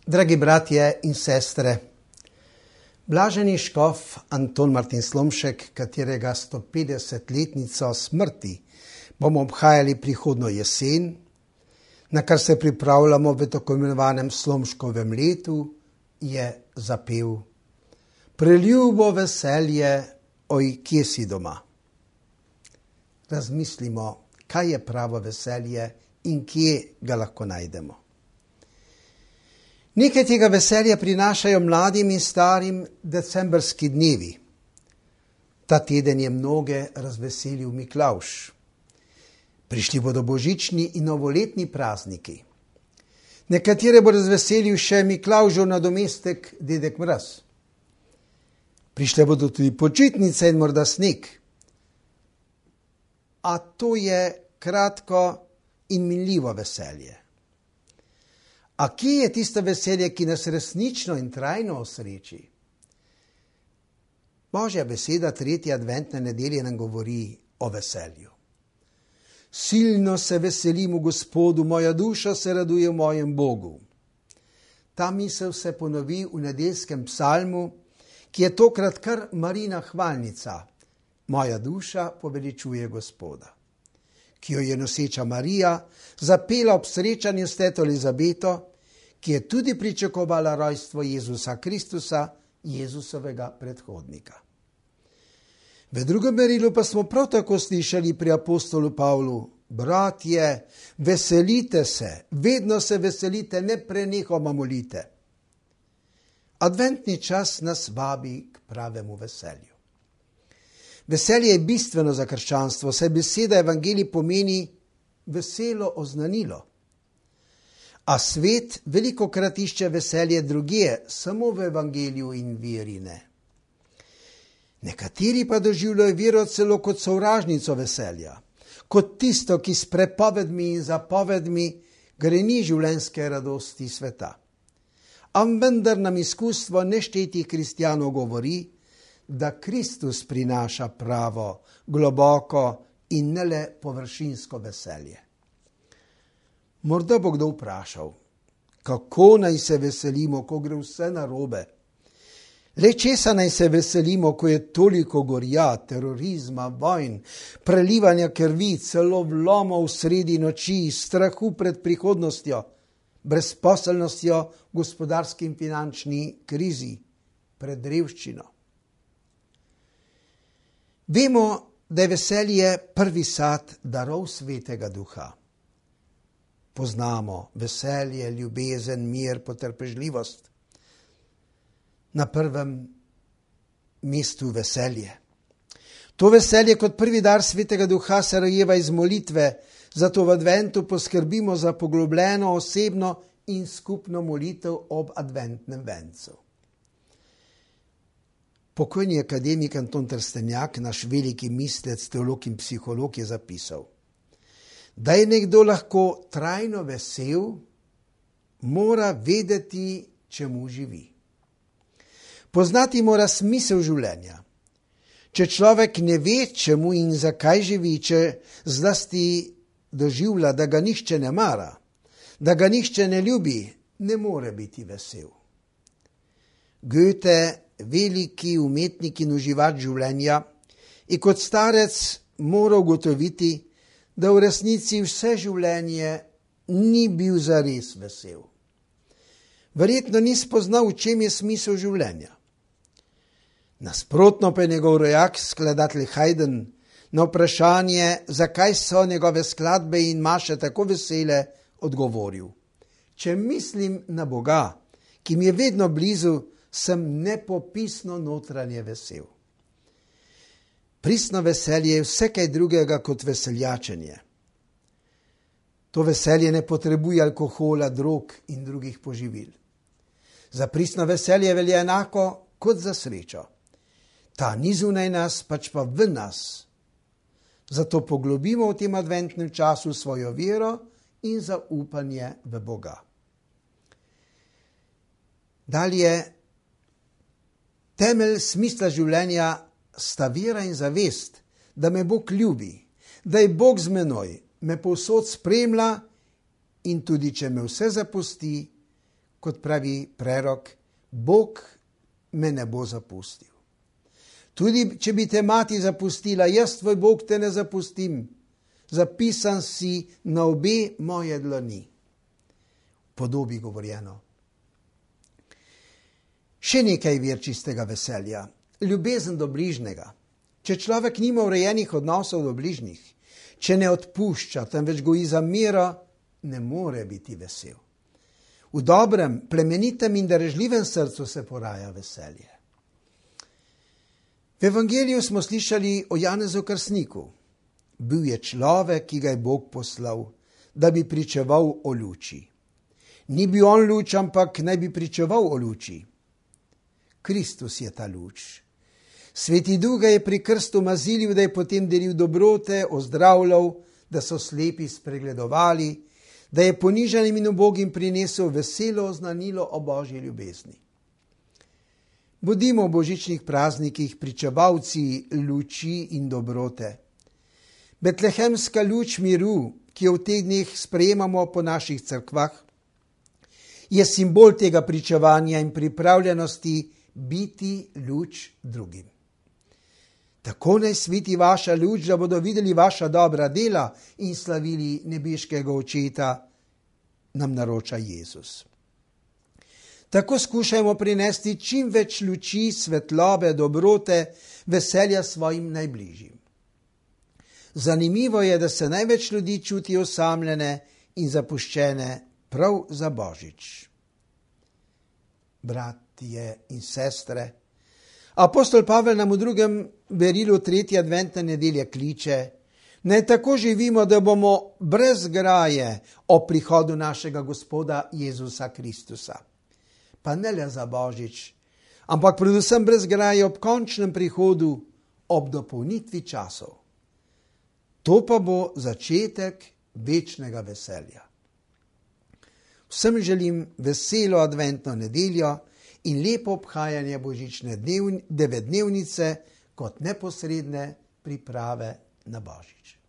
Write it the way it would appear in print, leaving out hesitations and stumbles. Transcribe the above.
Dragi bratje in sestre, blaženi škof Anton Martin Slomšek, katerega 150-letnico smrti bomo obhajali prihodnjo jesen, na kar se pripravljamo v tako imenovanem Slomškovem letu, je zapel: Preljubo veselje, oj, kje si doma? Razmislimo, kaj je pravo veselje in kje ga lahko najdemo. Nekaj tega veselja prinašajo mladim in starim decembrski dnevi. Ta teden je mnoge razveselil Miklavž. Prišli bodo božični in novoletni prazniki. Nekatere bo razveselil še Miklavžov nadomestek Dedek Mraz. Prišle bodo tudi počitnice in morda sneg. A to je kratko in minljivo veselje. A kje je tisto veselje, ki nas resnično in trajno osreči? Božja beseda 3. adventne nedelje nam govori o veselju. Silno se veselim v Gospodu, moja duša se raduje v mojem Bogu. Ta misel se ponovi v nedeljskem psalmu, ki je tokrat kar Marijina hvalnica. Moja duša poveličuje Gospoda, ki jo je noseča Marija zapela ob srečanju s teto Elizabeto, ki je tudi pričakovala rojstvo Jezusa Kristusa, Jezusovega predhodnika. V drugem merilu pa smo prav tako slišali pri apostolu Pavlu: Bratje, veselite se, vedno se veselite, neprenehoma molite. Adventni čas nas vabi k pravemu veselju. Veselje je bistveno za krščanstvo, saj beseda evangelij pomeni veselo oznanilo. A svet velikokrat išče veselje drugje, samo v evangeliju in veri ne. Nekateri pa doživljajo vero celo kot sovražnico veselja, kot tisto, ki s prepovedmi in zapovedmi greni življenjske radosti sveta. A vendar nam izkustvo neštetih kristjanov govori, da Kristus prinaša pravo, globoko in ne le površinsko veselje. Morda bo kdo vprašal, kako naj se veselimo, ko gre vse narobe? Le česa naj se veselimo, ko je toliko gorja, terorizma, vojn, prelivanja krvi, celo vlomov sredi noči, strahu pred prihodnostjo, brezposelnostjo, gospodarski in finančni krizi, pred revščino? Vemo, da je veselje prvi sad darov Svetega Duha. Poznamo veselje, ljubezen, mir, potrpežljivost. Na prvem mestu veselje. To veselje kot prvi dar Svetega Duha se rojeva iz molitve, zato v adventu poskrbimo za poglobljeno, osebno in skupno molitev ob adventnem vencu. Pokojni akademik Anton Trstenjak, naš veliki mislec, teolog in psiholog, je zapisal: Da je nekdo lahko trajno vesel, mora vedeti, čemu živi. Poznati mora smisel življenja. Če človek ne ve, čemu in zakaj živi, če zlasti doživlja, da ga nihče ne mara, da ga nihče ne ljubi, ne more biti vesel. Goethe, veliki umetnik in uživač življenja, je kot starec moral ugotoviti, da v resnici vse življenje ni bil zares vesel. Verjetno ni spoznal, v čem je smisel življenja. Nasprotno pa je njegov rojak, skladatelj Haydn, na vprašanje, zakaj so njegove skladbe in maše tako vesele, odgovoril: Če mislim na Boga, ki mi je vedno blizu, sem nepopisno notranje vesel. Pristno veselje je vse kaj drugega kot veseljačenje. To veselje ne potrebuje alkohola, drog in drugih poživil. Za pristno veselje velja enako kot za srečo. Ta ni zunaj nas, pač pa v nas. Zato poglobimo v tem adventnem času svojo vero in zaupanje v Boga. Dalje, temelj smisla življenja sta vera in zavest, da me Bog ljubi, da je Bog z menoj, me povsod spremlja in tudi, če me vse zapusti, kot pravi prerok, Bog me ne bo zapustil. Tudi če bi te mati zapustila, jaz tvoj Bog te ne zapustim. Zapisan si na obe moje dlani. Podobi govorjeno. Še nekaj vir čistega veselja. Ljubezen do bližnjega. Če človek nima urejenih odnosov do bližnjih, če ne odpušča, temveč goji zamero, ne more biti vesel. V dobrem, plemenitem in darežljivem srcu se poraja veselje. V evangeliju smo slišali o Janezu Krstniku. Bil je človek, ki ga je Bog poslal, da bi pričeval o luči. Ni bil on luč, ampak naj bi pričeval o luči. Kristus je ta luč. Sveti Duh ga je pri krstu mazilil, da je potem delil dobrote, ozdravljal, da so slepi spregledovali, da je ponižanim in ubogim prinesel veselo oznanilo o Božji ljubezni. Bodimo v božičnih praznikih pričevalci luči in dobrote. Betlehemska luč miru, ki jo v teh dneh sprejemamo po naših cerkvah, je simbol tega pričevanja in pripravljenosti biti luč drugim. Tako naj sveti vaša luč, da bodo videli vaša dobra dela in slavili nebeškega Očeta, nam naroča Jezus. Tako skušajmo prinesti čim več luči, svetlobe, dobrote, veselja svojim najbližjim. Zanimivo je, da se največ ljudi čuti osamljene in zapuščene prav za Božič. Bratje in sestre, apostol Pavel nam v 2. berilu 3. adventne nedelje kliče, naj tako živimo, da bomo brez graje o prihodu našega Gospoda Jezusa Kristusa. Pa ne le za Božič, ampak predvsem brez graje ob končnem prihodu, ob dopolnitvi časov. To pa bo začetek večnega veselja. Vsem želim veselo adventno nedeljo in lepo obhajanje božične devetdnevnice kot neposredne priprave na Božič.